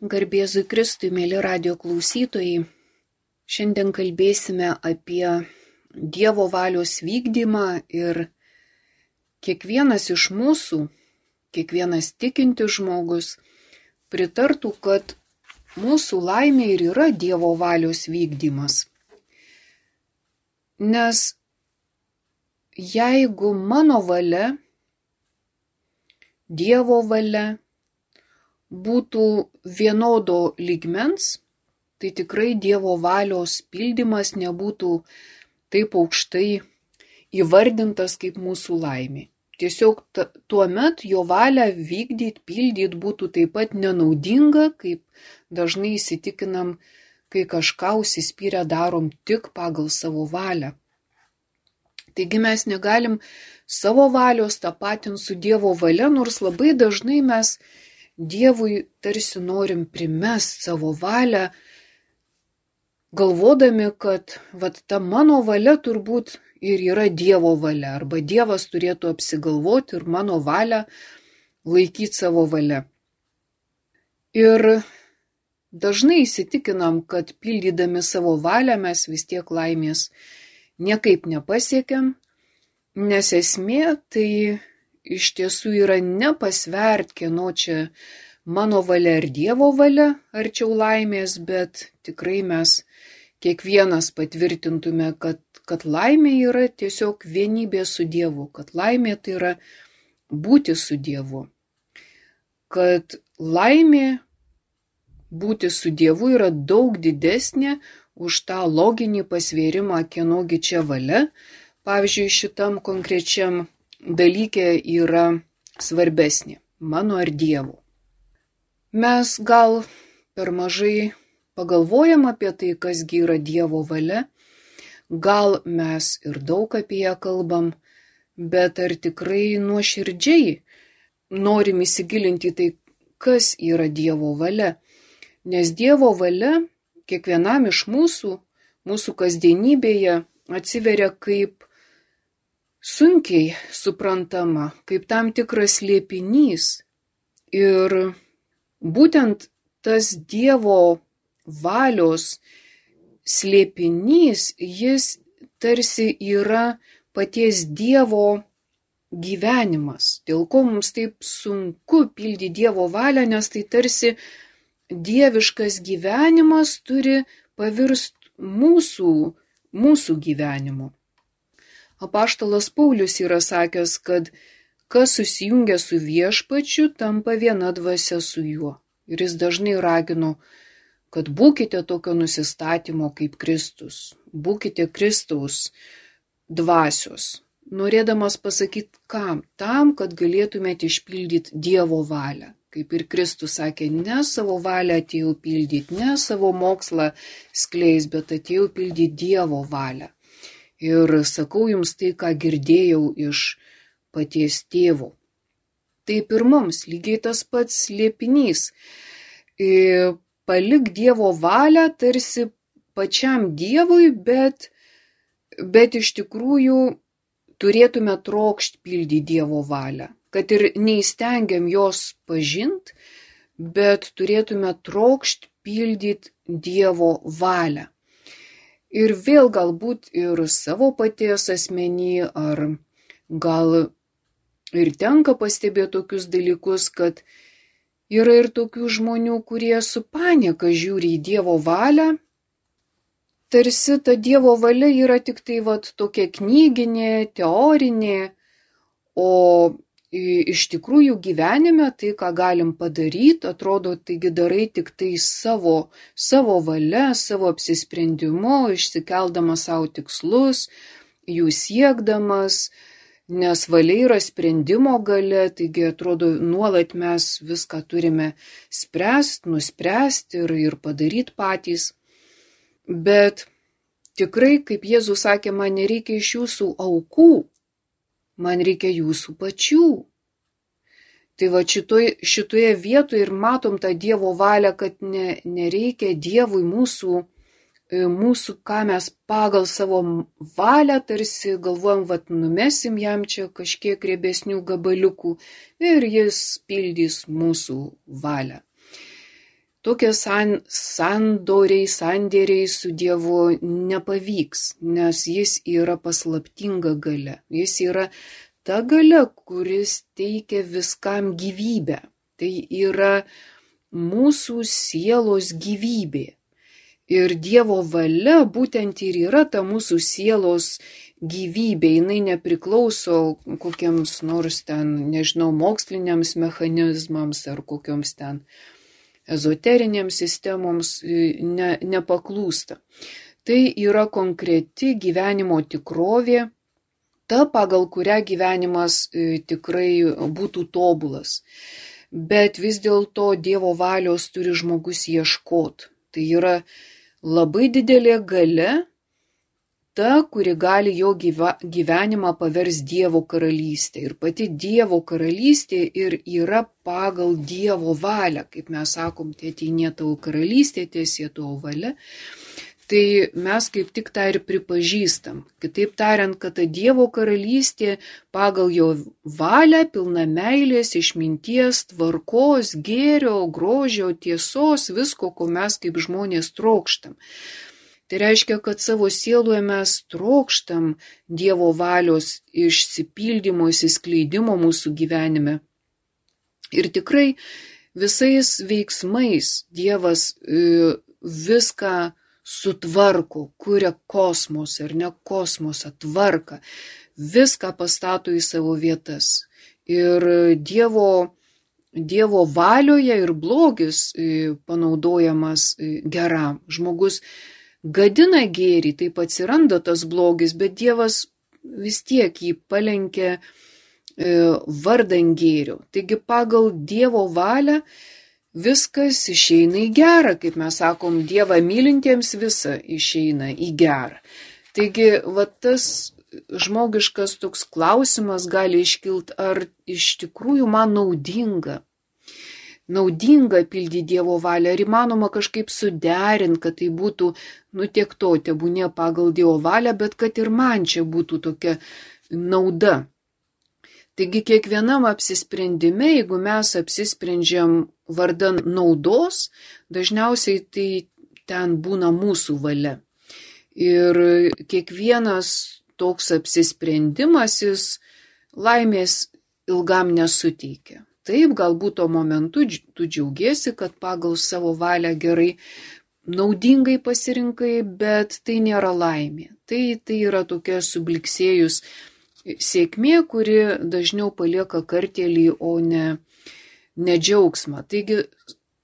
Garbėzui Kristui, mėly radio klausytojai, šiandien kalbėsime apie Dievo valios vykdymą ir kiekvienas iš mūsų, kiekvienas tikintis žmogus pritartų, kad mūsų laimė ir yra Dievo valios vykdymas. Nes jeigu mano valia, Dievo valia būtų vienodo lygmens, tai tikrai Dievo valios pildymas nebūtų taip aukštai įvardintas kaip mūsų laimė. Tiesiog tuomet jo valią vykdyti, pildyti būtų taip pat nenaudinga, kaip dažnai įsitikinam, kai kažką užsispyrę darom tik pagal savo valią. Taigi mes negalim savo valios tapatinti su Dievo valia, nors labai dažnai mes Dievui tarsi norim primest savo valią, galvodami, kad ta mano valia turbūt ir yra Dievo valia, arba Dievas turėtų apsigalvoti ir mano valią laikyti savo valia. Ir dažnai įsitikinam, kad pildydami savo valią mes vis tiek laimės niekaip nepasiekiam, nes esmė tai iš tiesų yra nepasvert, kieno čia mano valia ar Dievo valia arčiau laimės, bet tikrai mes kiekvienas patvirtintume, kad laimė yra tiesiog vienybė su Dievu, kad laimė tai yra būti su Dievu, kad laimė būti su Dievu yra daug didesnė už tą loginį pasvėrimą, kienogi čia valia. Pavyzdžiui, šitam konkrečiam dalykė yra svarbesnė, mano ar Dievo. Mes gal per mažai pagalvojam apie tai, kasgi yra Dievo valia, gal mes ir daug apie ją kalbam, bet ar tikrai nuoširdžiai norim įsigilinti į tai, kas yra Dievo valia. Nes Dievo valia kiekvienam iš mūsų kasdienybėje atsiveria kaip sunkiai suprantama, kaip tam tikras slėpinys. Ir būtent tas Dievo valios slėpinys, jis tarsi yra paties Dievo gyvenimas. Dėl ko mums taip sunku pildyti Dievo valią, nes tai tarsi dieviškas gyvenimas turi pavirsti mūsų gyvenimu. Apaštalas Paulius yra sakęs, kad kas susijungia su viešpačiu, tampa viena dvasia su juo. Ir jis dažnai ragino, kad būkite tokio nusistatymo kaip Kristus, būkite Kristaus dvasios. Norėdamas pasakyti kam? Tam, kad galėtumėte išpildyti Dievo valią. Kaip ir Kristus sakė, ne savo valią atėjau pildyti, ne savo mokslą skleis, bet atėjau pildyti Dievo valią. Ir sakau jums tai, ką girdėjau iš paties tėvo. Taip ir mums lygiai tas pats slėpinys. Palik Dievo valią tarsi pačiam Dievui, bet iš tikrųjų turėtume trokšti pildyti Dievo valią. Kad ir neįstengiam jos pažinti, bet turėtume trokšti pildyti Dievo valią. Ir vėl galbūt ir savo paties asmenį, ar gal ir tenka pastebėti tokius dalykus, kad yra ir tokių žmonių, kurie su panieka žiūri į Dievo valią. Tarsi ta Dievo valia yra tik tai tokia knyginė, teorinė, o iš tikrųjų gyvenime tai, ką galim padaryti, atrodo, taigi darai tik tai savo valia, savo apsisprendimu, išsikeldamas savo tikslus, jų siekdamas, nes valia yra sprendimo galia, taigi atrodo, nuolat mes viską turime spręsti, nuspręsti ir padaryti patys. Bet tikrai, kaip Jėzus sakė, man nereikia iš jūsų aukų, man reikia jūsų pačių. Tai šitoje vietoje ir matom tą Dievo valią, kad nereikia Dievui mūsų, ką mes pagal savo valią tarsi galvojam, numesim jam čia kažkiek riebesnių gabaliukų ir jis pildys mūsų valią. tokie sandėriai su Dievu nepavyks, nes jis yra paslaptinga galia. Jis yra ta galia, kuris teikia viskam gyvybę. Tai yra mūsų sielos gyvybė. Ir Dievo valia būtent ir yra ta mūsų sielos gyvybė. Jinai nepriklauso kokiems nors ten, moksliniams mechanizmams ar kokioms ten ezoterinėms sistemoms nepaklūsta. Tai yra konkreti gyvenimo tikrovė, ta, pagal kurią gyvenimas tikrai būtų tobulas. Bet vis dėlto Dievo valios turi žmogus ieškoti. Tai yra labai didelė galia, ta, kuri gali jo gyvenimą pavers Dievo karalystė. Ir pati Dievo karalystė ir yra pagal Dievo valią. Kaip mes sakom, teateinie tavo karalystė, tiesie tavo valia. Tai mes kaip tik tą ir pripažįstam. Kitaip tariant, kad ta Dievo karalystė pagal jo valią pilna meilės, išminties, tvarkos, gėrio, grožio, tiesos, visko, ko mes kaip žmonės trokštam. Tai reiškia, kad savo sieloje mes trokštam Dievo valios išsipildymo, išsiskleidimo mūsų gyvenime. Ir tikrai visais veiksmais Dievas viską sutvarko, kuria kosmosą ar ne kosmosą, tvarką, viską pastato į savo vietas. Ir Dievo valioje ir blogis panaudojamas geram. Žmogus gadina gėrį, taip atsiranda tas blogis, bet Dievas vis tiek jį palenkia vardan gėrio. Taigi pagal Dievo valią viskas išeina į gerą, kaip mes sakom, Dievą mylintiems visa išeina į gerą. Taigi, tas žmogiškas toks klausimas gali iškilt, ar iš tikrųjų man naudinga pildyti Dievo valią, ar įmanoma kažkaip suderinti, kad tai būtų, tiek to, tebūnie pagal Dievo valią, bet kad ir man čia būtų tokia nauda. Taigi kiekvienam apsisprendime, jeigu mes apsisprendžiam vardan naudos, dažniausiai tai ten būna mūsų valia. Ir kiekvienas toks apsisprendimas jis laimės ilgam nesuteikia. Taip, galbūt tuo momentu tu džiaugiesi, kad pagal savo valią gerai, naudingai pasirinkai, bet tai nėra laimė. Tai yra tokia subliksėjus sėkmė, kuri dažniau palieka kartėlį, o ne džiaugsmą. Taigi,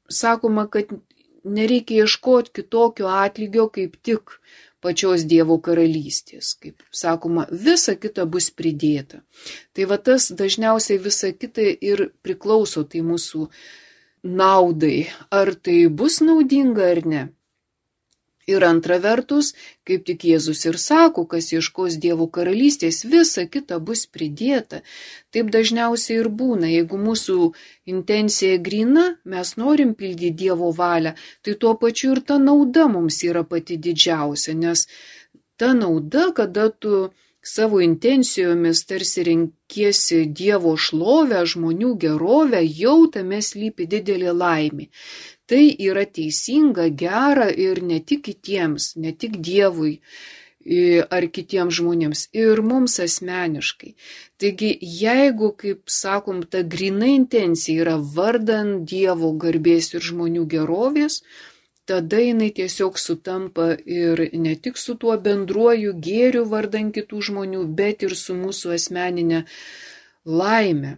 sakoma, kad nereikia ieškoti kitokio atlygio, kaip tik pačios Dievo karalystės. Kaip sakoma, visa kita bus pridėta. Tai tas dažniausiai visa kita ir priklauso tai mūsų naudai. Ar tai bus naudinga ar ne? Ir antra vertus, kaip tik Jėzus ir sako, kas ieškos Dievo karalystės, visa kita bus pridėta. Taip dažniausiai ir būna. Jeigu mūsų intencija gryna, mes norim pildyti Dievo valią, tai tuo pačiu ir ta nauda mums yra pati didžiausia, nes ta nauda, kada tu savo intencijomis tarsi renkiesi Dievo šlovę, žmonių gerovę, jau tame slypi didelė laimė. Tai yra teisinga, gera ir ne tik kitiems, ne tik Dievui ar kitiems žmonėms, ir mums asmeniškai. Taigi, jeigu, kaip sakom, ta gryna intencija yra vardan Dievo garbės ir žmonių gerovės, tada jinai tiesiog sutampa ir ne tik su tuo bendruoju gėriu vardan kitų žmonių, bet ir su mūsų asmeninė laime.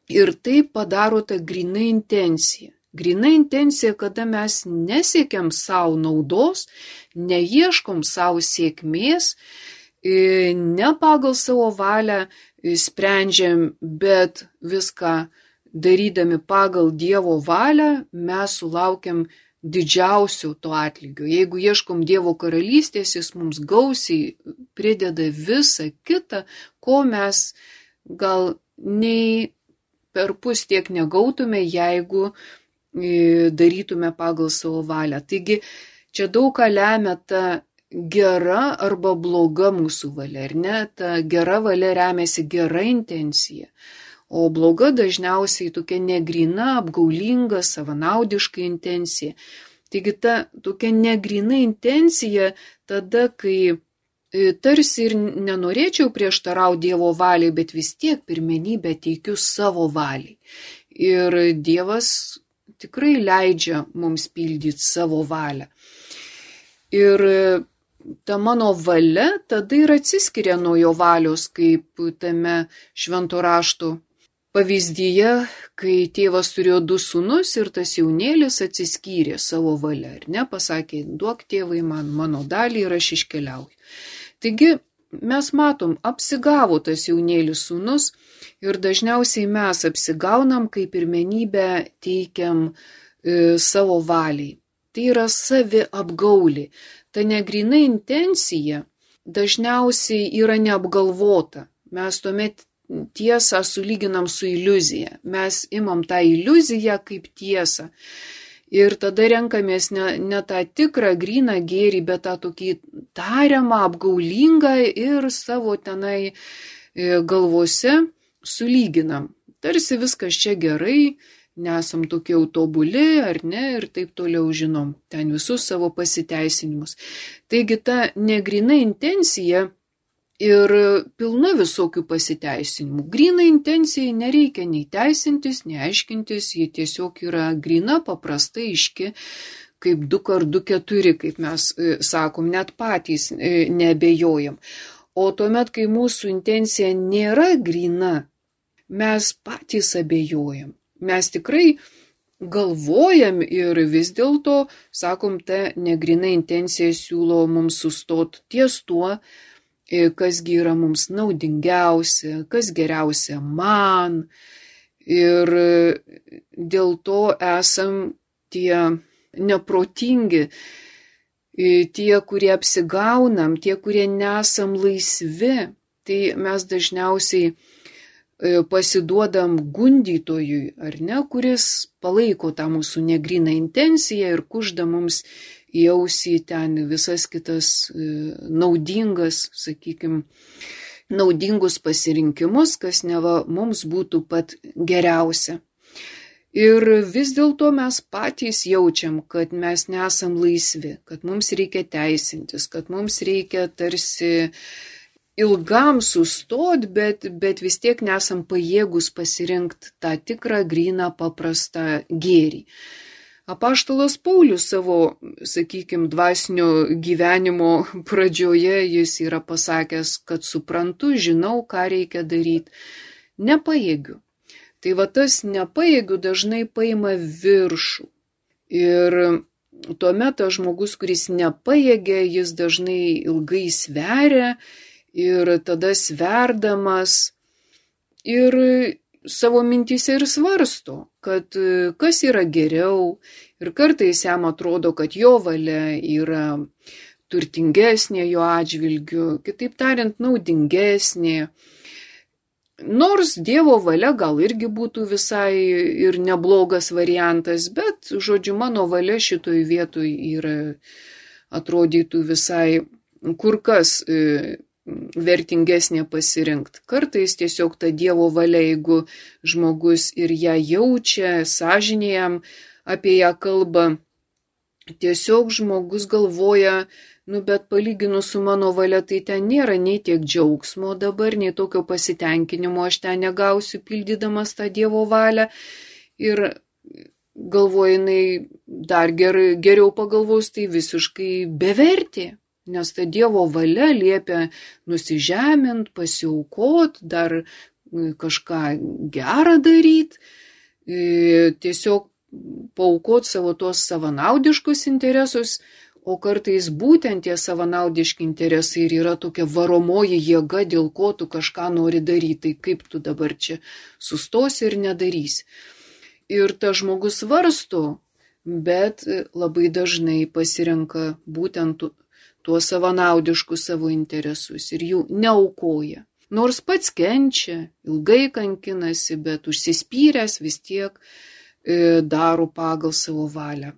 Ir tai padaro ta gryna intencija. Gryna intencija, kada mes nesiekiam savo naudos, neieškom savo sėkmės, ne pagal savo valią sprendžiam, bet viską darydami pagal Dievo valią, mes sulaukiam didžiausio to atlygio. Jeigu ieškom Dievo karalystės, jis mums gausiai prideda visą kitą, ko mes gal nei per pus tiek negautume, jeigu darytume pagal savo valią. Taigi, čia daug ką lemia ta gera arba bloga mūsų valia, ar ne? Ta gera valia remiasi gera intencija, o bloga dažniausiai tokia negrina, apgaulinga, savanaudiška intencija. Taigi ta tokia negrina intencija tada, kai tarsi ir nenorėčiau prieštarauti Dievo valiai, bet vis tiek pirmenybę teikiu savo valiai. Ir Dievas tikrai leidžia mums pildyti savo valią. Ir ta mano valia tada ir atsiskiria nuo jo valios, kaip tame švento rašto pavyzdyje, kai tėvas turėjo 2 sūnus ir tas jaunėlis atsiskyrė savo valia, ar ne, pasakė, duok tėvai man mano dalį ir aš iškeliauju. Taigi mes matom, apsigavo tas jaunėlis sūnus ir dažniausiai mes apsigaunam, kai pirmenybę teikiam savo valiai. Tai yra savi apgaulė. Ta negrina intencija dažniausiai yra neapgalvota. Mes tuomet tiesą sulyginam su iliuzija. Mes imam tą iliuziją kaip tiesą. Ir tada renkamės ne tą tikrą gryną gėrį, bet tą tokį tariamą, apgaulingą ir savo tenai galvose sulyginam. Tarsi viskas čia gerai, nesam tokie jau tobuli, ar ne, ir taip toliau žinom ten visus savo pasiteisinimus. Taigi ta negrina intencija ir pilna visokių pasiteisinimų. Grina intencijai nereikia nei teisintis, nei aiškintis, ji tiesiog yra grina, paprasta, aiški, kaip 2 x 2, kaip mes sakom, net patys neabejojam. O tuomet, kai mūsų intencija nėra grina, mes patys abejojam. Mes tikrai galvojam ir vis dėlto, sakom, ta negrina intencija siūlo mums sustoti ties tuo, kasgi yra mums naudingiausia, kas geriausia man. Ir dėl to esam tie neprotingi, tie, kurie apsigaunam, tie, kurie nesam laisvi. Tai mes dažniausiai pasiduodam gundytojui, ar ne, kuris palaiko tą mūsų negryną intenciją ir kužda mums į ausį ten visas kitas naudingas, sakykime, naudingus pasirinkimus, kas neva mums būtų pat geriausia. Ir vis dėlto mes patys jaučiam, kad mes nesam laisvi, kad mums reikia teisintis, kad mums reikia tarsi ilgam sustot, bet vis tiek nesam pajėgus pasirinkti tą tikrą, gryną, paprastą gėrį. Apaštalas Paulius savo, sakykime, dvasinio gyvenimo pradžioje jis yra pasakęs, kad suprantu, žinau, ką reikia daryti, nepajėgiu. Tai va tas nepajėgiu dažnai paima viršų. Ir tuomet tas žmogus, kuris nepajėgia, jis dažnai ilgai sveria ir tada sverdamas ir savo mintyse ir svarsto, kad kas yra geriau, ir kartais jam atrodo, kad jo valia yra turtingesnė jo atžvilgiu, kitaip tariant, naudingesnė. Nors Dievo valia gal irgi būtų visai ir neblogas variantas, bet, žodžiu, mano valia šitoj vietoj yra, atrodytų visai kur kas vertingesnė pasirinkti. Kartais tiesiog ta Dievo valia, jeigu žmogus ir ją jaučia, sąžinė jam apie ją kalba, tiesiog žmogus galvoja, bet palyginus su mano valia, tai ten nėra nei tiek džiaugsmo dabar, nei tokio pasitenkinimo aš ten negausiu pildydamas tą Dievo valią. Ir galvoja, jinai dar geriau pagalvos, tai visiškai bevertė. Nes ta Dievo valia liepia nusižemint, pasiaukot, dar kažką gerą daryti, tiesiog paaukot savo tos savanaudiškus interesus, o kartais būtent tie savanaudiški interesai ir yra tokia varomoji jėga, dėl ko tu kažką nori daryti, tai kaip tu dabar čia sustosi ir nedarysi. Ir tas žmogus svarsto, bet labai dažnai pasirenka būtent tuos savanaudiškus savo interesus ir jų neaukoja. Nors pats kenčia, ilgai kankinasi, bet užsispyręs vis tiek daro pagal savo valią.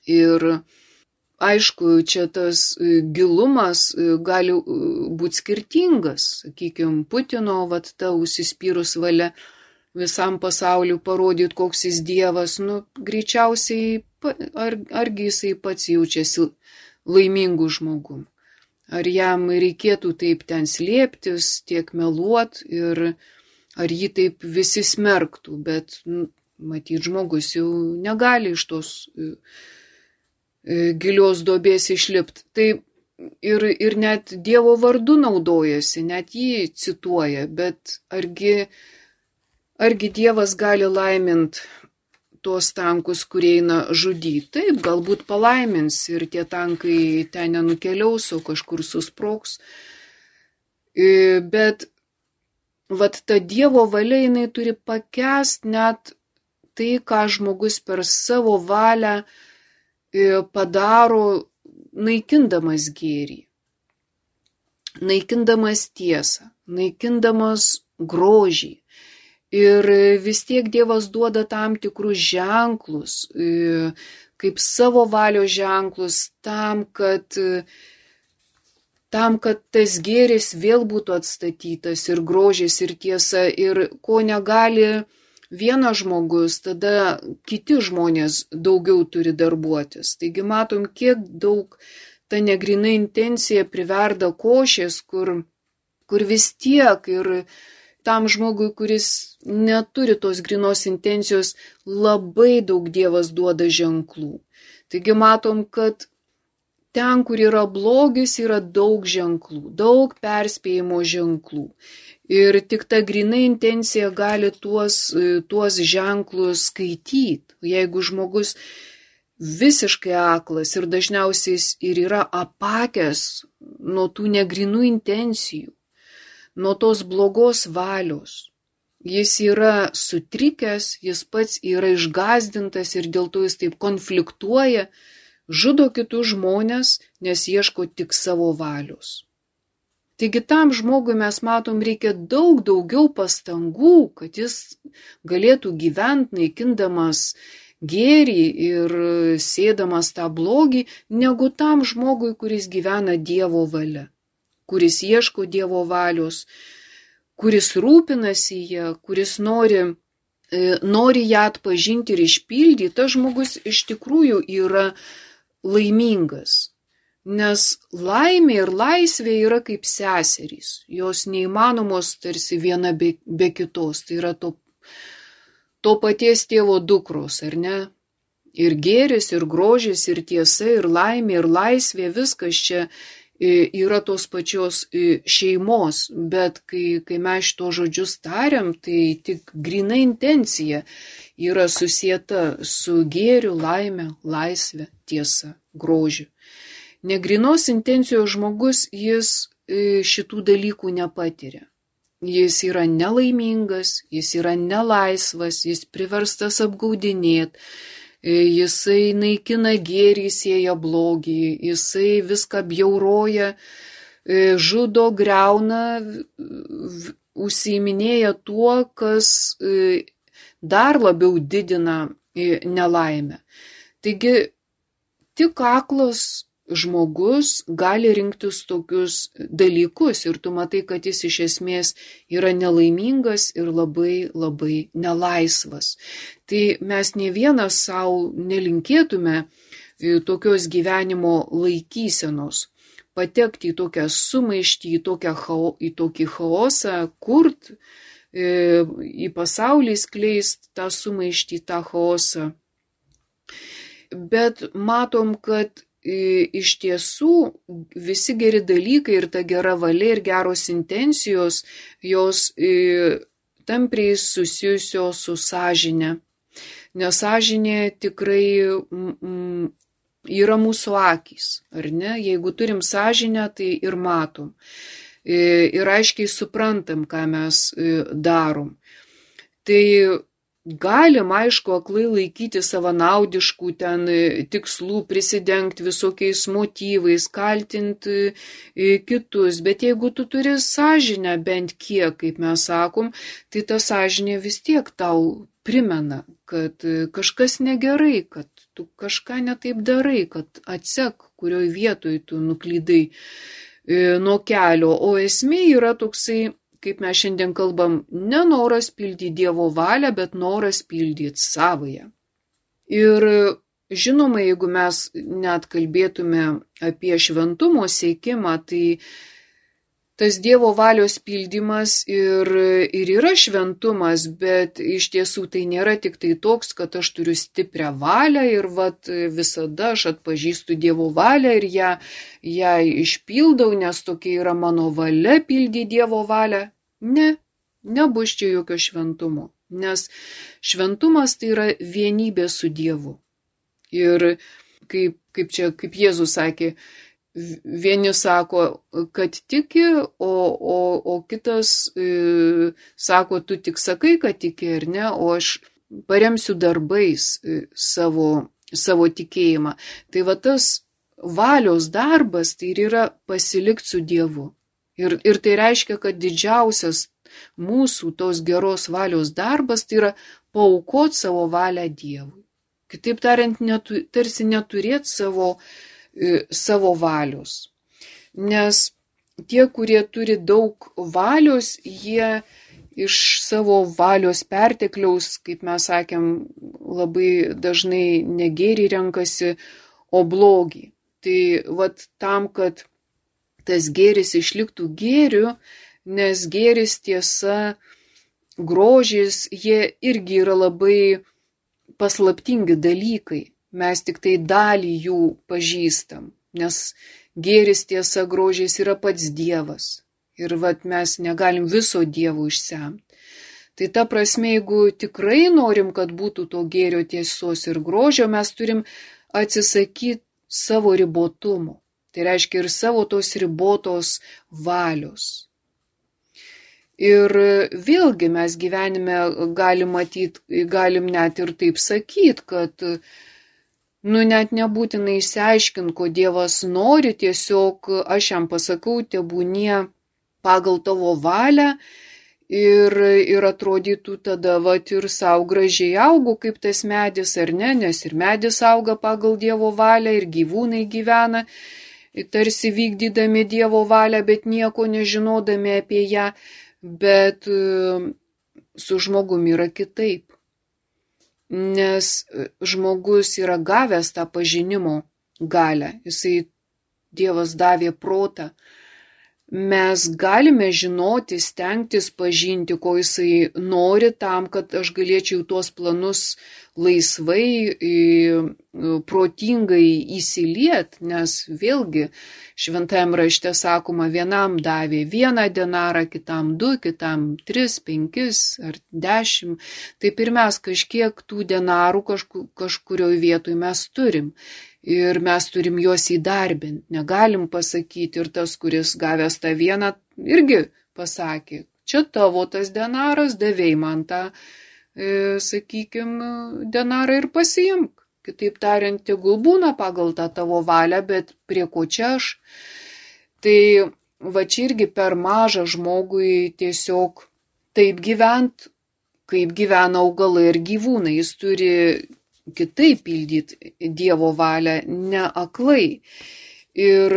Ir aišku, čia tas gilumas gali būti skirtingas. Sakykime, Putino ta užsispyrus valia visam pasauliu parodyti, koks jis dievas, greičiausiai, argi jisai pats jaučiasi laimingų žmogum. Ar jam reikėtų taip ten slėptis, tiek meluot ir ar jį taip visi smerktų, bet matyt, žmogus jau negali iš tos gilios duobės išlipti. Tai ir net Dievo vardu naudojasi, net jį cituoja, bet argi Dievas gali laimint tuos tankus, kurie eina žudyti? Taip, galbūt palaimins ir tie tankai ten nenukeliaus, o kažkur susprogs. Bet ta Dievo valia, jinai turi pakęst net tai, ką žmogus per savo valią padaro, naikindamas gėrį, naikindamas tiesą, naikindamas grožį. Ir vis tiek Dievas duoda tam tikrus ženklus, kaip savo valios ženklus, tam, kad tas gėris vėl būtų atstatytas ir grožis ir tiesa. Ir ko negali vienas žmogus, tada kiti žmonės daugiau turi darbuotis. Taigi matom, kiek daug ta negrina intencija priverda košės, kur vis tiek ir tam žmogui, kuris neturi tos grinos intencijos, labai daug Dievas duoda ženklų. Taigi matom, kad ten, kur yra blogis, yra daug ženklų, daug perspėjimo ženklų. Ir tik ta grina intencija gali tuos ženklus skaityti. Jeigu žmogus visiškai aklas ir dažniausiai jis ir yra apakęs nuo tų negrinų intencijų, nuo tos blogos valios. Jis yra sutrikęs, jis pats yra išgąsdintas ir dėl to jis taip konfliktuoja, žudo kitus žmonės, nes ieško tik savo valios. Taigi tam žmogui mes matom, reikia daug daugiau pastangų, kad jis galėtų gyventi naikindamas gėrį ir sėdamas tą blogį, negu tam žmogui, kuris gyvena Dievo valia, kuris ieško Dievo valios, kuris rūpinasi ją, kuris nori ją atpažinti ir išpildyti. Tas žmogus iš tikrųjų yra laimingas, nes laimė ir laisvė yra kaip seserys, jos neįmanomos tarsi viena be kitos, tai yra to paties tėvo dukros, ar ne? Ir gėris, ir grožis, ir tiesa, ir laimė, ir laisvė, viskas čia yra tos pačios šeimos, bet kai mes šito žodžius tariam, tai tik grina intencija yra susieta su gėriu, laime, laisvė, tiesa, grožiu. Negrinos intencijos žmogus, jis šitų dalykų nepatiria. Jis yra nelaimingas, jis yra nelaisvas, jis priverstas apgaudinėti. Jisai naikina gėrį, sėja blogį, jisai viską bjauroja, žudo, griauna, užsiiminėja tuo, kas dar labiau didina nelaimę. Taigi tik aklas žmogus gali rinktis tokius dalykus ir tu matai, kad jis iš esmės yra nelaimingas ir labai labai nelaisvas. Tai mes ne vienas savo nelinkėtume tokios gyvenimo laikysenos, patekti į tokią sumaištį, į tokį chaosą, kurt, į pasaulį skleist tą sumaištį, tą chaosą. Bet matom, kad iš tiesų visi geri dalykai ir ta gera valia ir geros intencijos, jos tampriai susijusios su sąžine. Nes sąžinė tikrai yra mūsų akys, ar ne? Jeigu turim sąžinę, tai ir matom. Ir aiškiai suprantam, ką mes darom. Tai galim, aišku, aklai laikyti savanaudiškų ten tikslų, prisidengti visokiais motyvais, kaltinti kitus, bet jeigu tu turi sąžinę bent kiek, kaip mes sakom, tai ta sąžinė vis tiek tau primena, kad kažkas negerai, kad tu kažką netaip darai, kad atsek, kurioj vietoj tu nuklydai nuo kelio. O esmė yra toksai, kaip mes šiandien kalbam, ne noras pildyti Dievo valią, bet noras pildyti savąją. Ir žinoma, jeigu mes net kalbėtume apie šventumo siekimą, tai tas Dievo valios pildymas ir yra šventumas, bet iš tiesų tai nėra tik tai toks, kad aš turiu stiprią valią ir visada aš atpažįstu Dievo valią ir ją išpildau, nes tokia yra mano valia pildyti Dievo valią. Ne, nebus čia jokio šventumo, nes šventumas tai yra vienybė su Dievu. Ir kaip Jėzus sakė, vieni sako, kad tiki, o kitas sako, tu tik sakai, kad tiki ar ne, o aš paremsiu darbais savo tikėjimą. Tai tas valios darbas tai yra pasilikti su Dievu. Ir tai reiškia, kad didžiausias mūsų tos geros valios darbas tai yra paaukoti savo valią Dievui. Kitaip tariant, tarsi neturėti savo valios. Nes tie, kurie turi daug valios, jie iš savo valios pertekliaus, kaip mes sakėm, labai dažnai ne gėrį renkasi, o blogį. Tai tam, kad tas gėris išliktų gėriu, nes gėris, tiesa, grožis, jie irgi yra labai paslaptingi dalykai. Mes tik tai dalį jų pažįstam, nes gėris, tiesa, grožis yra pats Dievas. Ir mes negalim viso Dievo išsemti. Tai ta prasme, jeigu tikrai norim, kad būtų to gėrio, tiesos ir grožio, mes turim atsisakyti savo ribotumo. Tai reiškia ir savo tos ribotos valios. Ir vėlgi mes gyvenime galim net ir taip sakyti, kad net nebūtinai išsiaiškinti, ko Dievas nori, tiesiog aš jam pasakau, tebūnie pagal tavo valią ir atrodytų tada ir savo gražiai augu kaip tas medis, ar ne, nes ir medis auga pagal Dievo valią ir gyvūnai gyvena, tarsi vykdydami Dievo valią, bet nieko nežinodami apie ją, bet su žmogumi yra kitaip. Nes žmogus yra gavęs tą pažinimo galią, Dievas davė protą. Mes galime žinoti, stengtis pažinti, ko jisai nori tam, kad aš galėčiau tuos planus laisvai, protingai įsiliet, nes vėlgi šventajam rašte sakoma, vienam davė 1 denarą, kitam 2, kitam 3, 5 ar 10. Taip ir mes kažkiek tų denarų kažkurioje vietoje mes turim. Ir mes turim juos įdarbinti. Negalim pasakyti, ir tas, kuris gavęs tą 1, irgi pasakė, čia tavo tas denaras, davėjai man tą, denarą ir pasiimk. Kitaip tariant, tegul būna pagal tą tavo valią, bet prie ko čia aš? Tai čia irgi per mažą žmogui tiesiog taip gyvent, kaip gyvena augalai ir gyvūnai. Jis turi kitaip pildyti Dievo valią, ne aklai. Ir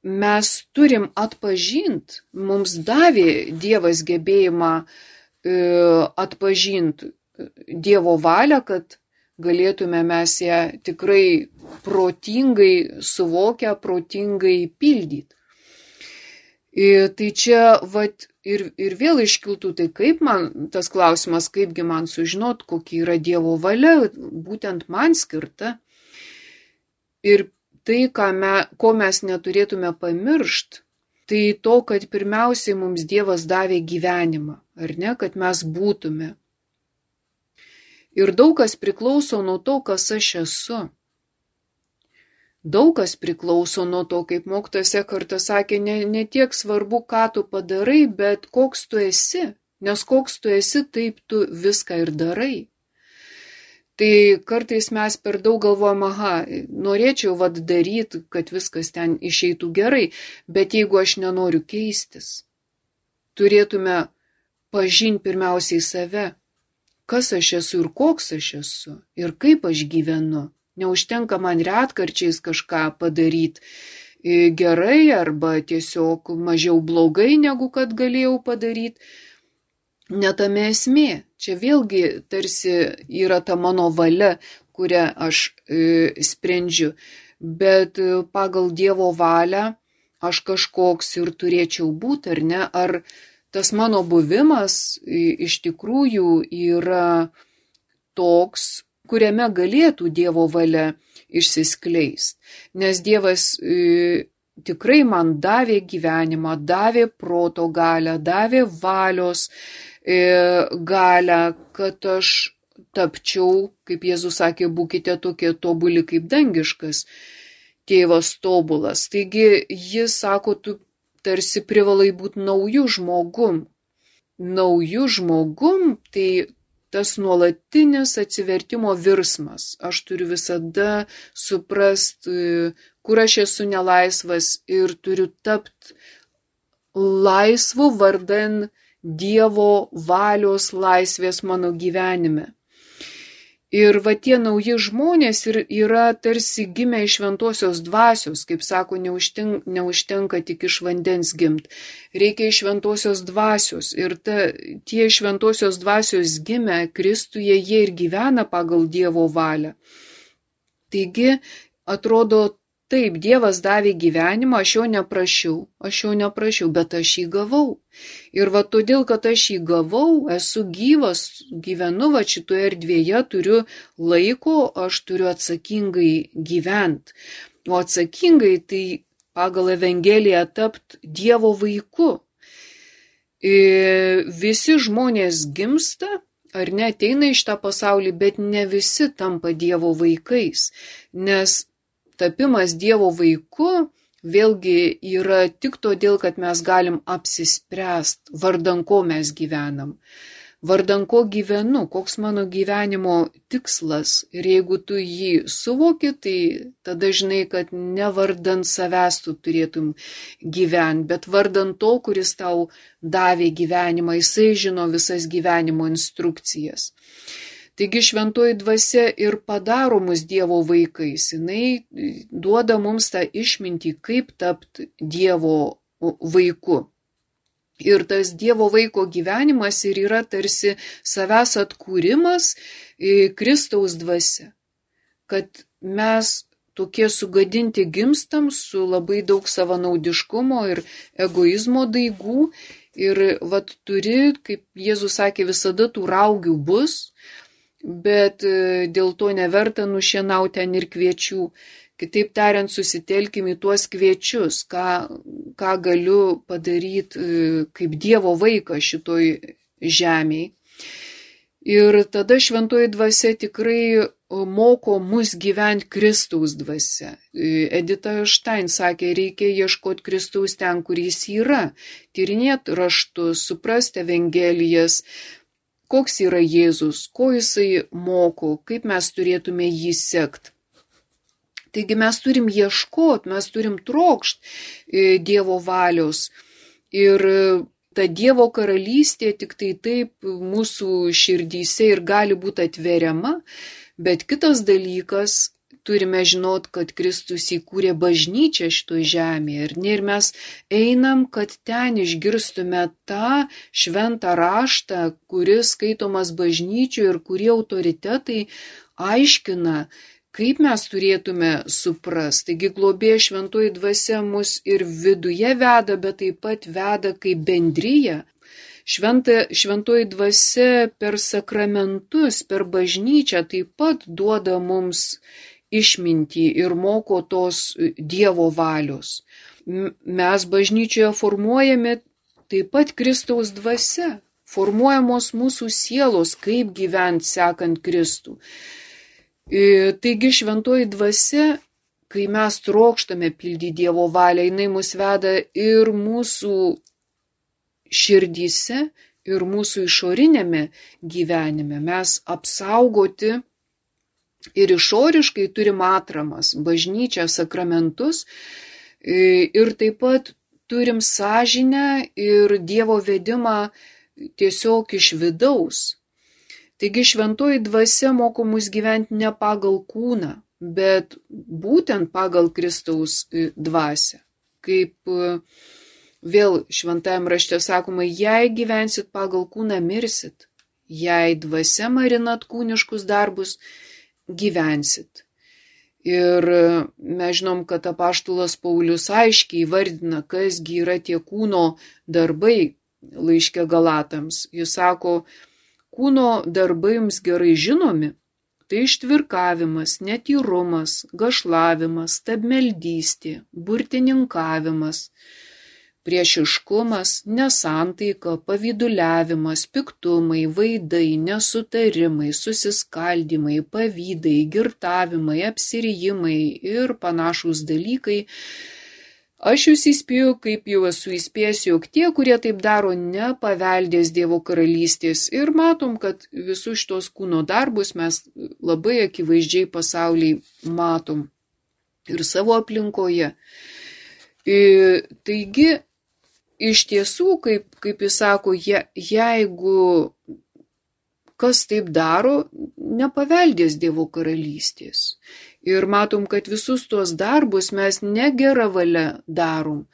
mes turim atpažinti, mums davė Dievas gebėjimą atpažinti Dievo valią, kad galėtume mes ją tikrai protingai suvokę, protingai pildyti. Tai čia ir vėl iškiltų, tai kaip man, tas klausimas, kaipgi man sužinot, kokia yra Dievo valia, būtent man skirta. Ir tai, ko mes neturėtume pamiršti, tai to, kad pirmiausiai mums Dievas davė gyvenimą, ar ne, kad mes būtume. Ir daug kas priklauso nuo to, kas aš esu. Daug kas priklauso nuo to, kaip mokytojas Ekhartas sakė, ne tiek svarbu, ką tu padarai, bet koks tu esi. Nes koks tu esi, taip tu viską ir darai. Tai kartais mes per daug galvojam, norėčiau daryti, kad viskas ten išeitų gerai, bet jeigu aš nenoriu keistis, turėtume pažinti pirmiausiai save. kas aš esu ir koks aš esu ir kaip aš gyvenu. Neužtenka man retkarčiais kažką padaryti gerai arba tiesiog mažiau blogai, negu kad galėjau padaryti. Ne tame esmė. Čia vėlgi tarsi yra ta mano valia, kurią aš sprendžiu. Bet pagal Dievo valią aš kažkoks ir turėčiau būti, ar ne? Ar tas mano buvimas iš tikrųjų yra toks, kuriame galėtų Dievo valia išsiskleisti. Nes Dievas tikrai man davė gyvenimą, davė proto galią, davė valios galią, kad aš tapčiau, kaip Jėzus sakė, būkite tokie tobuli kaip dangiškas tėvas tobulas. Taigi jis sako, tu tarsi privalai būti naujų žmogum. Naujų žmogum tai tas nuolatinis atsivertimo virsmas. Aš turiu visada suprasti, kur aš esu nelaisvas ir turiu tapti laisvu vardan Dievo valios laisvės mano gyvenime. Ir va tie nauji žmonės yra tarsi gimę iš šventosios dvasios, kaip sako, neužtenka tik iš vandens gimt, reikia iš šventosios dvasios. Ir tie šventosios dvasios gimę Kristuje, jie ir gyvena pagal Dievo valią. Taigi, atrodo, taip, Dievas davė gyvenimą, aš jo neprašiau, bet aš jį gavau. Ir va todėl, kad aš jį gavau, esu gyvas, gyvenu va šitoje erdvėje, turiu laiko, aš turiu atsakingai gyventi. O atsakingai tai pagal Evangeliją tapti Dievo vaiku. Visi žmonės gimsta, ar ne, ateina iš tą pasaulį, bet ne visi tampa Dievo vaikais, nes tapimas Dievo vaiku vėlgi yra tik todėl, kad mes galim apsispręsti, vardan ko mes gyvenam, vardan ko gyvenu, koks mano gyvenimo tikslas. Ir jeigu tu jį suvoki, tai tada žinai, kad ne vardan savęs tu turėtum gyventi, bet vardan to, kuris tau davė gyvenimą, jisai žino visas gyvenimo instrukcijas. Taigi šventoji dvasia ir padaro mus Dievo vaikais. Jinai duoda mums tą išmintį, kaip tapti Dievo vaiku. Ir tas Dievo vaiko gyvenimas ir yra tarsi savęs atkūrimas Kristaus dvasia. Kad mes tokie sugadinti gimstam su labai daug savanaudiškumo ir egoizmo daigų. Ir vat turi, kaip Jėzus sakė, visada tų raugių bus, bet dėl to neverta nušienauti ten ir kviečių. Kitaip tariant, susitelkim į tuos kviečius, ką galiu padaryti kaip Dievo vaikas šitoj žemėj. Ir tada šventoji dvasia tikrai moko mus gyventi Kristaus dvasia. Edita Štain sakė, reikia ieškoti Kristaus ten, kur jis yra, tyrinėti raštus, suprasti Evangelijas, koks yra Jėzus, ko jisai moko, kaip mes turėtume jį sekti. Taigi mes turim ieškoti, mes turim trokšti Dievo valios. Ir ta Dievo karalystė tik tai taip mūsų širdyse ir gali būti atveriama, bet kitas dalykas, turime žinot, kad Kristus įkūrė bažnyčią šitoj žemėje. Ir mes einam, kad ten išgirstume tą šventą raštą, kuris skaitomas bažnyčių ir kurie autoritetai aiškina, kaip mes turėtume suprasti. Taigi globėja šventoji dvasia mus ir viduje veda, bet taip pat veda kaip bendryja. Šventoji dvasia per sakramentus, per bažnyčią taip pat duoda mums išmintį ir moko tos Dievo valios. Mes bažnyčioje formuojame taip pat Kristaus dvasia, formuojamos mūsų sielos, kaip gyventi sekant Kristų. Taigi šventoji dvasia, kai mes trokštame pildyti Dievo valią, jinai mus veda ir mūsų širdyse, ir mūsų išorinėme gyvenime. Mes apsaugoti ir išoriškai turim atramas, bažnyčią, sakramentus ir taip pat turim sąžinę ir Dievo vedimą tiesiog iš vidaus. Taigi šventoji dvasia moko mus gyventi ne pagal kūną, bet būtent pagal Kristaus dvasią. Kaip vėl šventajam rašte sakoma, jei gyvensit pagal kūną, mirsit. Jei dvasia marinat kūniškus darbus, gyvensit. Ir mes žinom, kad apaštalas Paulius aiškiai įvardina, kasgi yra tie kūno darbai laiške Galatams. Jis sako, kūno darbai jums gerai žinomi, tai ištvirkavimas, netyrumas, gašlavimas, stabmeldystė, burtininkavimas, priešiškumas, nesantaika, pavyduliavimas, piktumai, vaidai, nesutarimai, susiskaldimai, pavydai, girtavimai, apsirijimai ir panašūs dalykai. Aš jūs įspėju, kaip jau esu įspėjęs, jog tie, kurie taip daro, nepaveldės Dievo karalystės. Ir matom, kad visus šitos kūno darbus mes labai akivaizdžiai pasaulyje matom ir savo aplinkoje. Taigi, iš tiesų, kaip jis sako, jeigu kas taip daro, nepaveldės Dievo karalystės. Ir matom, kad visus tuos darbus mes ne gera valia darom,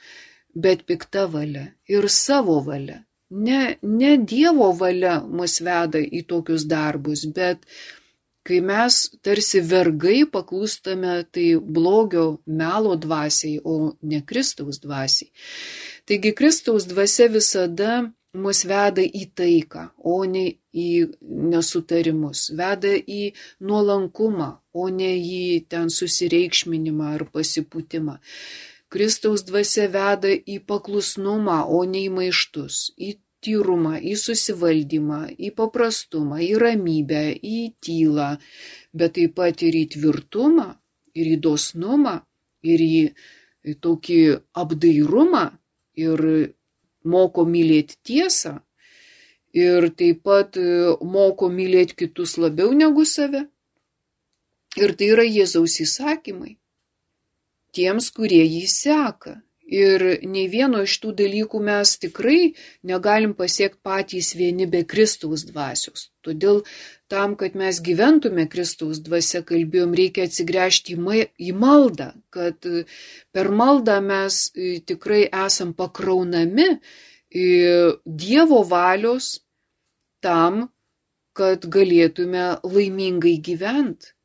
bet pikta valia ir savo valia. Ne Dievo valia mus veda į tokius darbus, bet kai mes tarsi vergai paklūstame tai blogio melo dvasiai, o ne Kristaus dvasiai. Taigi Kristaus dvasia visada mus veda į taiką, o ne į nesutarimus, veda į nuolankumą, o ne į ten susireikšminimą ar pasipūtimą. Kristaus dvasia veda į paklusnumą, o ne į maištus, į tyrumą, į susivaldymą, į paprastumą, į ramybę, į tylą, bet taip pat ir į tvirtumą, ir į dosnumą, ir į tokį apdairumą, ir moko mylėti tiesą, ir taip pat moko mylėti kitus labiau negu save. Ir tai yra Jėzaus įsakymai tiems, kurie jį seka. Ir nei vieno iš tų dalykų mes tikrai negalim pasiekti patys vieni be Kristaus dvasios. Todėl tam, kad mes gyventume Kristaus dvasia, kalbėjom, reikia atsigręžti į maldą, kad per maldą mes tikrai esam pakraunami Dievo valios tam, kad galėtume laimingai gyventi.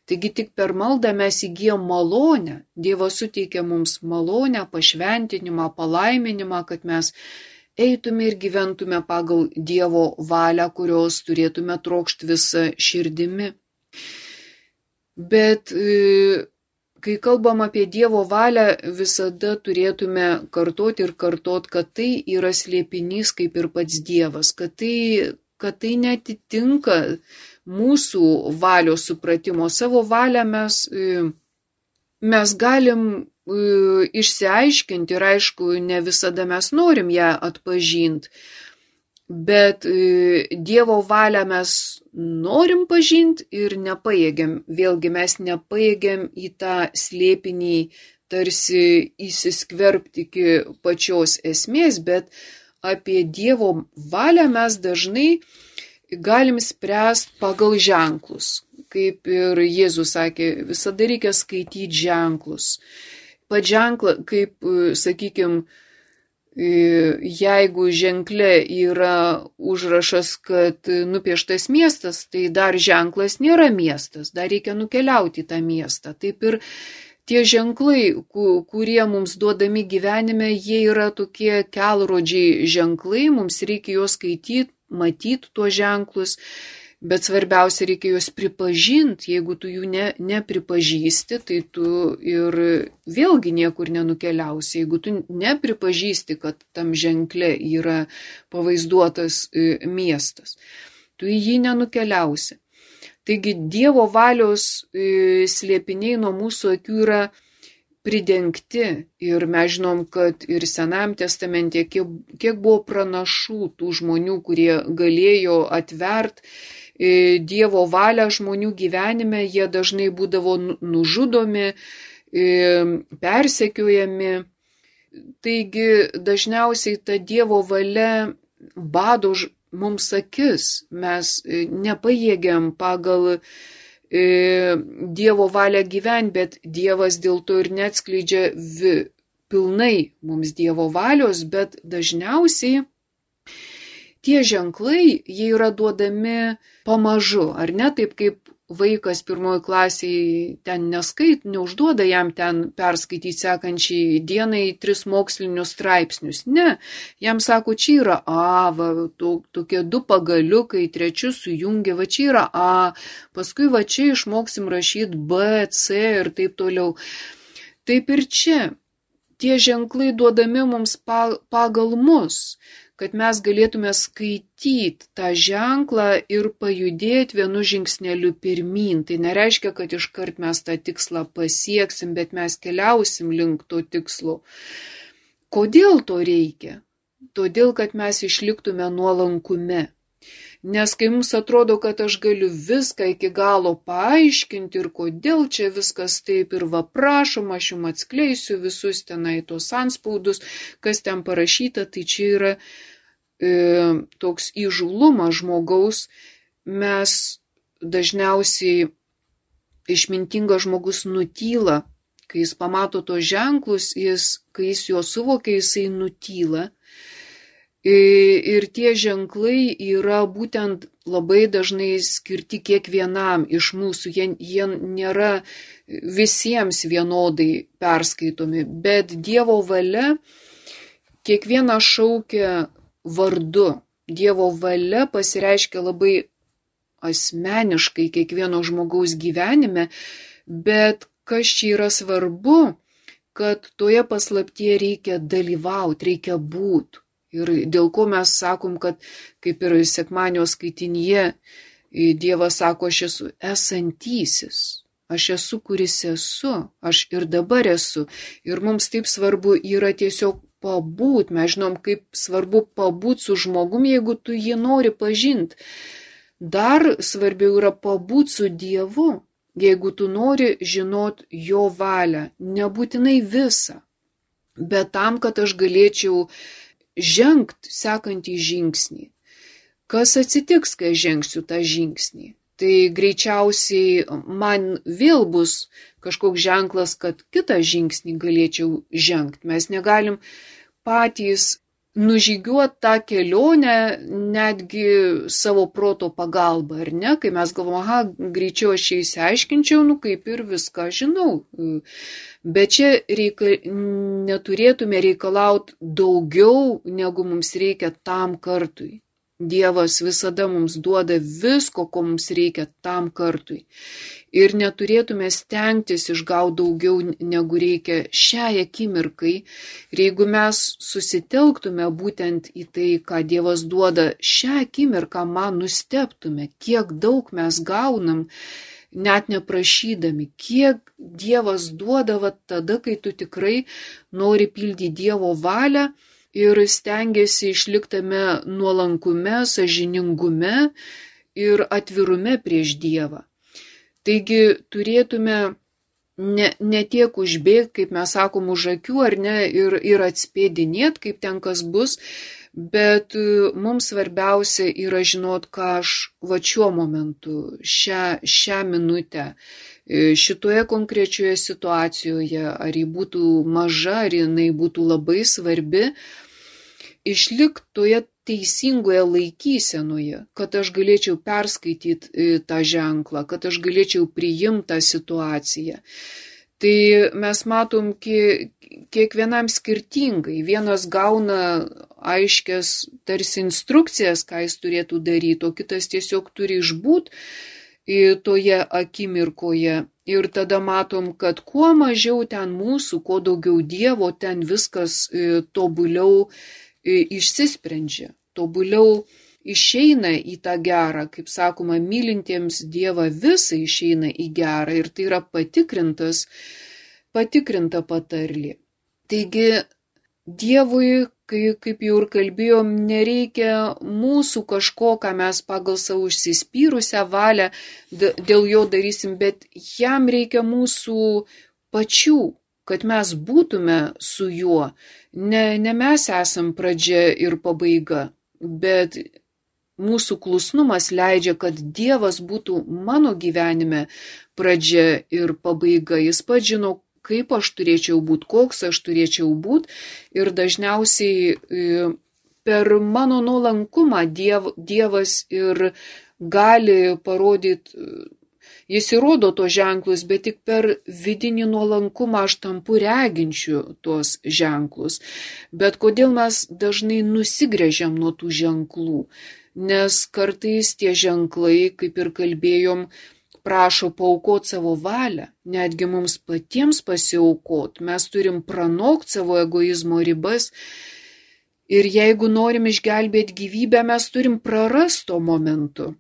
Taigi tik per maldą mes įgyjam malonę. Dievas suteikia mums malonę, pašventinimą, palaiminimą, kad mes eitume ir gyventume pagal Dievo valią, kurios turėtume trokšti visą širdimi. Bet kai kalbam apie Dievo valią, visada turėtume kartoti ir kartoti, kad tai yra slėpinys kaip ir pats Dievas, kad tai netitinka mūsų valios supratimo. Savo valią mes galim išsiaiškinti ir aišku, ne visada mes norim ją atpažinti, bet Dievo valią mes norim pažinti ir nepajėgiam. Vėlgi mes nepajėgiam į tą slėpinį tarsi įsiskverbti iki pačios esmės, bet apie Dievo valią mes dažnai galim spręsti pagal ženklus. Kaip ir Jėzus sakė, visada reikia skaityti ženklus. Pat ženklą, kaip, sakykime, jeigu ženkle yra užrašas, kad nupieštas miestas, tai dar ženklas nėra miestas, dar reikia nukeliauti į tą miestą. Taip ir tie ženklai, kurie mums duodami gyvenime, jie yra tokie kelrodžiai ženklai, mums reikia juos skaityti, matyti tuos ženklus, bet svarbiausia reikia juos pripažinti. Jeigu tu jų nepripažįsti, tai tu ir vėlgi niekur nenukeliausi. Jeigu tu nepripažįsti, kad tam ženkle yra pavaizduotas miestas, tu į jį nenukeliausi. Taigi Dievo valios slėpiniai nuo mūsų akių yra pridengti ir mes žinom, kad ir Senajam testamente kiek buvo pranašų tų žmonių, kurie galėjo atvert Dievo valią žmonių gyvenime, jie dažnai būdavo nužudomi, persekiojami. Taigi dažniausiai ta Dievo valia bado mums akis, mes nepajėgiam pagal Dievo valią gyventi, bet Dievas dėl to ir neatskleidžia pilnai mums Dievo valios, bet dažniausiai tie ženklai, jie yra duodami pamažu, ar ne, taip kaip vaikas pirmoji klasėje ten neužduoda jam ten perskaityti sekančiai dienai 3 mokslinius straipsnius. Ne, jam sako, čia yra A, tokie 2 pagaliukai, 3 sujungia, va čia yra A, paskui va čia išmoksim rašyti B, C ir taip toliau. Taip ir čia, tie ženklai duodami mums pagal mus, kad mes galėtume skaityti tą ženklą ir pajudėti vienu žingsneliu pirmyn. Tai nereiškia, kad iškart mes tą tikslą pasieksim, bet mes keliausim link to tikslo. Kodėl to reikia? Todėl, kad mes išliktume nuolankume. Nes kai mums atrodo, kad aš galiu viską iki galo paaiškinti ir kodėl čia viskas taip ir va prašom, aš jums atskleisiu visus tenai tos anspaudus, kas ten parašyta, tai čia yra toks įžūlumas žmogaus. Mes dažniausiai išmintingas žmogus nutyla, kai jis pamato tos ženklus, kai jis juos suvokia, jisai nutyla. Ir tie ženklai yra būtent labai dažnai skirti kiekvienam iš mūsų, jie nėra visiems vienodai perskaitomi, bet Dievo valia kiekvieną šaukia vardu. Dievo valia pasireiškia labai asmeniškai kiekvieno žmogaus gyvenime, bet kas čia yra svarbu, kad toje paslaptyje reikia dalyvauti, reikia būti. Ir dėl ko mes sakom, kad kaip ir sekmadienio skaitinyje Dievas sako, aš esu esantysis, aš esu, kuris esu, aš ir dabar esu. Ir mums taip svarbu yra tiesiog pabūt, mes žinom, kaip svarbu pabūt su žmogum, jeigu tu jį nori pažinti. Dar svarbiau yra pabūt su Dievu, jeigu tu nori žinot jo valią, nebūtinai visą, bet tam, kad aš galėčiau žengt sekantį žingsnį. Kas atsitiks, kai žengsiu tą žingsnį? Tai greičiausiai man vėl bus kažkoks ženklas, kad kitą žingsnį galėčiau žengt. Mes negalim patys nužygiuoti tą kelionę netgi savo proto pagalba, ar ne? Kai mes galvom, greičiau aš čia išsiaiškinčiau, kaip ir viską žinau. Bet čia neturėtume reikalauti daugiau, negu mums reikia tam kartui. Dievas visada mums duoda visko, ko mums reikia tam kartui. Ir neturėtume stengtis išgauti daugiau, negu reikia šiai akimirkai. Ir jeigu mes susitelktume būtent į tai, ką Dievas duoda šią akimirką, man nustebtume, kiek daug mes gaunam, net neprašydami, kiek Dievas duoda tada, kai tu tikrai nori pildyti Dievo valią ir stengiasi išliktame nuolankume, sąžiningume ir atvirume prieš Dievą. Taigi turėtume ne tiek užbėgti, kaip mes sakom, už akių, ar ne, ir atspėdinėti, kaip ten kas bus, bet mums svarbiausia yra žinot, ką aš šiuo momentu, šią minutę, šitoje konkrečioje situacijoje, ar ji būtų maža, ar jinai būtų labai svarbi, išlikti toje teisingoje laikysenoje, kad aš galėčiau perskaityti tą ženklą, kad aš galėčiau priimti tą situaciją. Tai mes matom kiekvienam skirtingai. Vienas gauna aiškias tarsi instrukcijas, ką jis turėtų daryti, o kitas tiesiog turi išbūti toje akimirkoje. Ir tada matom, kad kuo mažiau ten mūsų, kuo daugiau Dievo, ten viskas tobuliau išsisprendžia, tobuliau išeina į tą gerą, kaip sakoma, mylintiems Dievą visą išeina į gerą ir tai yra patikrinta patarlė. Taigi Dievui, kaip jau ir kalbėjom, nereikia mūsų kažko, ką mes pagal savo užsispyrusią valią dėl jo darysim, bet jam reikia mūsų pačių, kad mes būtume su juo. Ne mes esam pradžia ir pabaiga, bet mūsų klusnumas leidžia, kad Dievas būtų mano gyvenime pradžia ir pabaiga. Jis pats žino, kaip aš turėčiau būti, koks aš turėčiau būti. Ir dažniausiai per mano nuolankumą Dievas ir gali parodyti, jis įrodo tos ženklus, bet tik per vidinį nuolankumą aš tampu reginčiu tuos ženklus. Bet kodėl mes dažnai nusigręžiam nuo tų ženklų? Nes kartais tie ženklai, kaip ir kalbėjom, prašo paaukoti savo valią, netgi mums patiems pasiaukoti. Mes turim pranokti savo egoizmo ribas. Ir jeigu norim išgelbėti gyvybę, mes turim prarasti to momentu.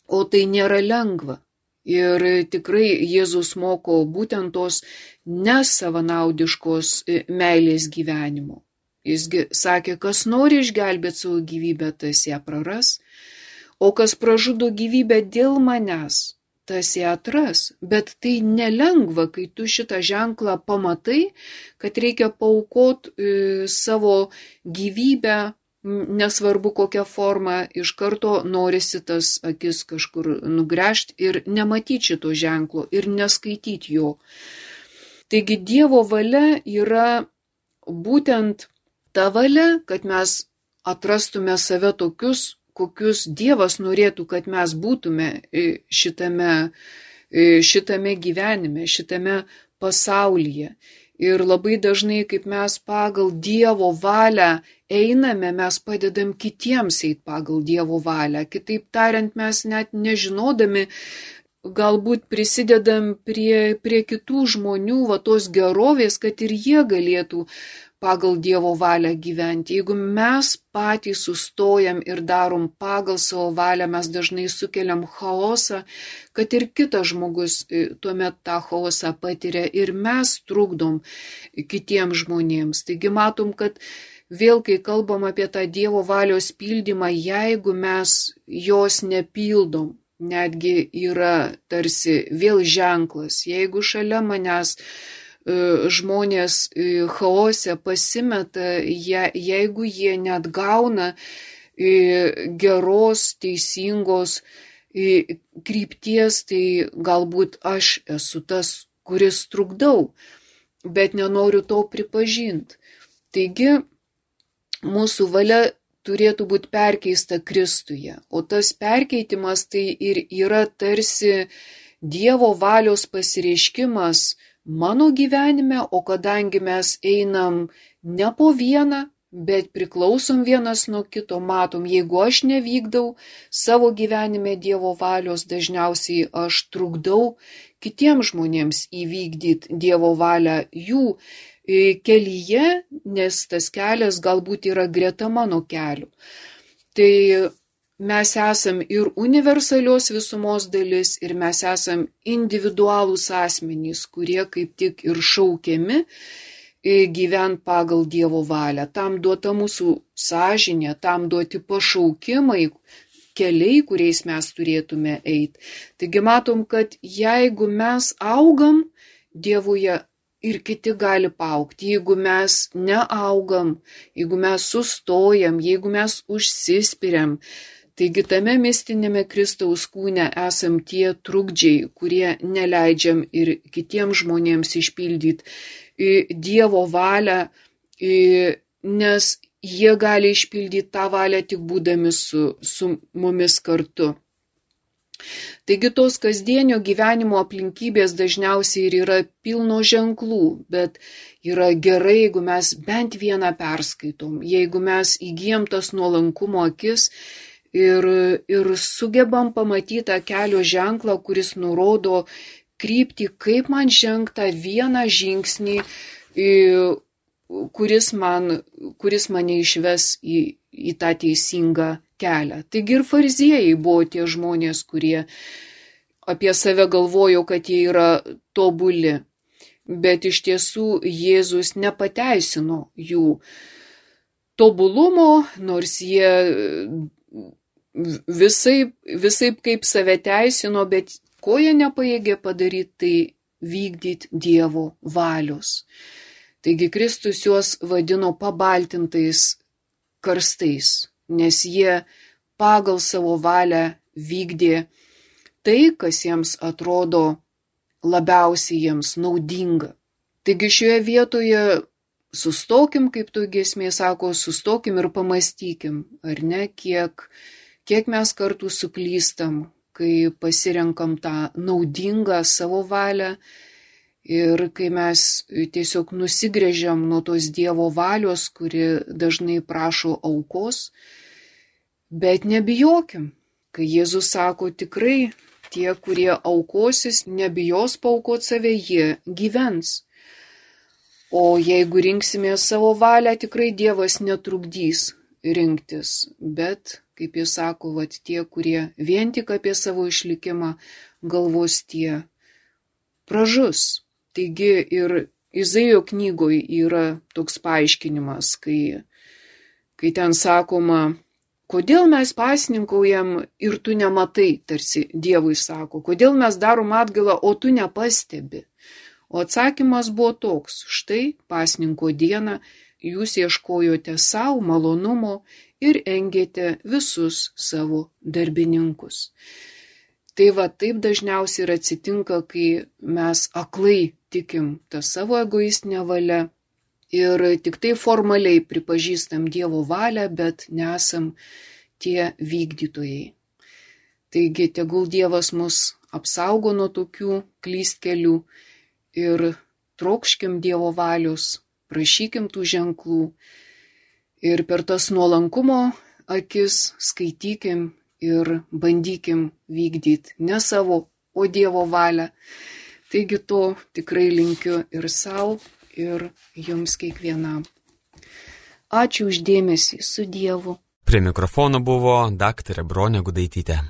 O tai nėra lengva. Ir tikrai Jėzus moko būtent tos nesavanaudiškos meilės gyvenimo. Jisgi sakė, kas nori išgelbėti savo gyvybę, tas ją praras, o kas pražudo gyvybę dėl manęs, tas ją atras. Bet tai nelengva, kai tu šitą ženklą pamatai, kad reikia paaukoti savo gyvybę, nesvarbu kokią formą, iš karto norisi tas akis kažkur nugręžti ir nematyti šito ženklo ir neskaityti jo. Taigi Dievo valia yra būtent ta valia, kad mes atrastume save tokius, kokius Dievas norėtų, kad mes būtume šitame gyvenime, šitame pasaulyje. Ir labai dažnai, kaip mes pagal Dievo valią einame, mes padedam kitiems eiti pagal Dievo valią. Kitaip tariant, mes net nežinodami, galbūt prisidedam prie kitų žmonių, va tos gerovės, kad ir jie galėtų pagal Dievo valią gyventi. Jeigu mes patys sustojam ir darom pagal savo valią, mes dažnai sukeliam chaosą, kad ir kitas žmogus tuomet tą chaosą patiria ir mes trukdom kitiems žmonėms. Taigi matom, kad vėl, kai kalbam apie tą Dievo valios pildymą, jeigu mes jos nepildom, netgi yra tarsi vėl ženklas, jeigu šalia manęs žmonės chaose pasimeta, jeigu jie net gauna geros, teisingos krypties, tai galbūt aš esu tas, kuris trukdau, bet nenoriu to pripažinti. Taigi, mūsų valia turėtų būti perkeista Kristuje, o tas perkeitimas tai ir yra tarsi Dievo valios pasireiškimas mano gyvenime, o kadangi mes einam ne po vieną, bet priklausom vienas nuo kito, matom, jeigu aš nevykdau savo gyvenime Dievo valios, dažniausiai aš trukdau kitiems žmonėms įvykdyti Dievo valią jų kelyje, nes tas kelias galbūt yra greta mano kelių. Tai mes esam ir universalios visumos dalis, ir mes esam individualūs asmenys, kurie kaip tik ir šaukiami gyvent pagal Dievo valią. Tam duota mūsų sąžinė, tam duoti pašaukimai, keliai, kuriais mes turėtume eiti. Taigi matom, kad jeigu mes augam Dievuje, ir kiti gali paaugti. Jeigu mes neaugam, jeigu mes sustojam, jeigu mes užsispiriam, taigi tame mistinėme Kristaus kūne esam tie trukdžiai, kurie neleidžiam ir kitiems žmonėms išpildyti Dievo valią, nes jie gali išpildyti tą valią tik būdami su mumis kartu. Taigi tos kasdienio gyvenimo aplinkybės dažniausiai ir yra pilno ženklų, bet yra gerai, jeigu mes bent vieną perskaitom, jeigu mes įgyjam tas nuolankumo akis ir sugebam pamatyti tą kelio ženklą, kuris nurodo kryptį, kaip man žengti vieną žingsnį, kuris mane išves į tą teisingą kelią. Taigi ir fariziejai buvo tie žmonės, kurie apie save galvojo, kad jie yra tobuli, bet iš tiesų Jėzus nepateisino jų tobulumo, nors jie visaip kaip save teisino, bet ko jie nepajėgė padaryti, tai vykdyti Dievo valios. Taigi Kristus juos vadino pabaltintais karstais, nes jie pagal savo valią vykdė tai, kas jiems atrodo labiausiai jiems naudinga. Taigi šioje vietoje sustokim, kaip tu giesmė sako, sustokim ir pamastykim, ar ne, kiek mes kartų suklystam, kai pasirenkam tą naudingą savo valią ir kai mes tiesiog nusigręžiam nuo tos Dievo valios, kuri dažnai prašo aukos, bet nebijokim, kai Jėzus sako tikrai tie, kurie aukosis, nebijos paaukoti save, jie gyvens. O jeigu rinksime savo valią, tikrai Dievas netrukdys rinktis, bet, kaip jis sako, tie, kurie vien tik apie savo išlikimą galvos, tie pražus. Taigi ir Izaijo knygoje yra toks paaiškinimas, kai ten sakoma, kodėl mes pasninkaujam ir tu nematai, tarsi Dievui sako, kodėl mes darom atgailą, o tu nepastebi. O atsakymas buvo toks, štai pasninko dieną jūs ieškojote savo malonumo ir engėte visus savo darbininkus. Tai taip dažniausiai ir atsitinka, kai mes aklai tikim tą savo egoistinę valią ir tik tai formaliai pripažįstam Dievo valią, bet nesam tie vykdytojai. Taigi tegul Dievas mus apsaugo nuo tokių klystkelių ir trokškim Dievo valios, prašykim tų ženklų ir per tas nuolankumo akis skaitykim ir bandykim vykdyti ne savo, o Dievo valią. Taigi to tikrai linkiu ir sau, ir jums kiekvienam. Ačiū už dėmesį, su Dievu. Prie mikrofono buvo daktarė Bronė Gudaitytė.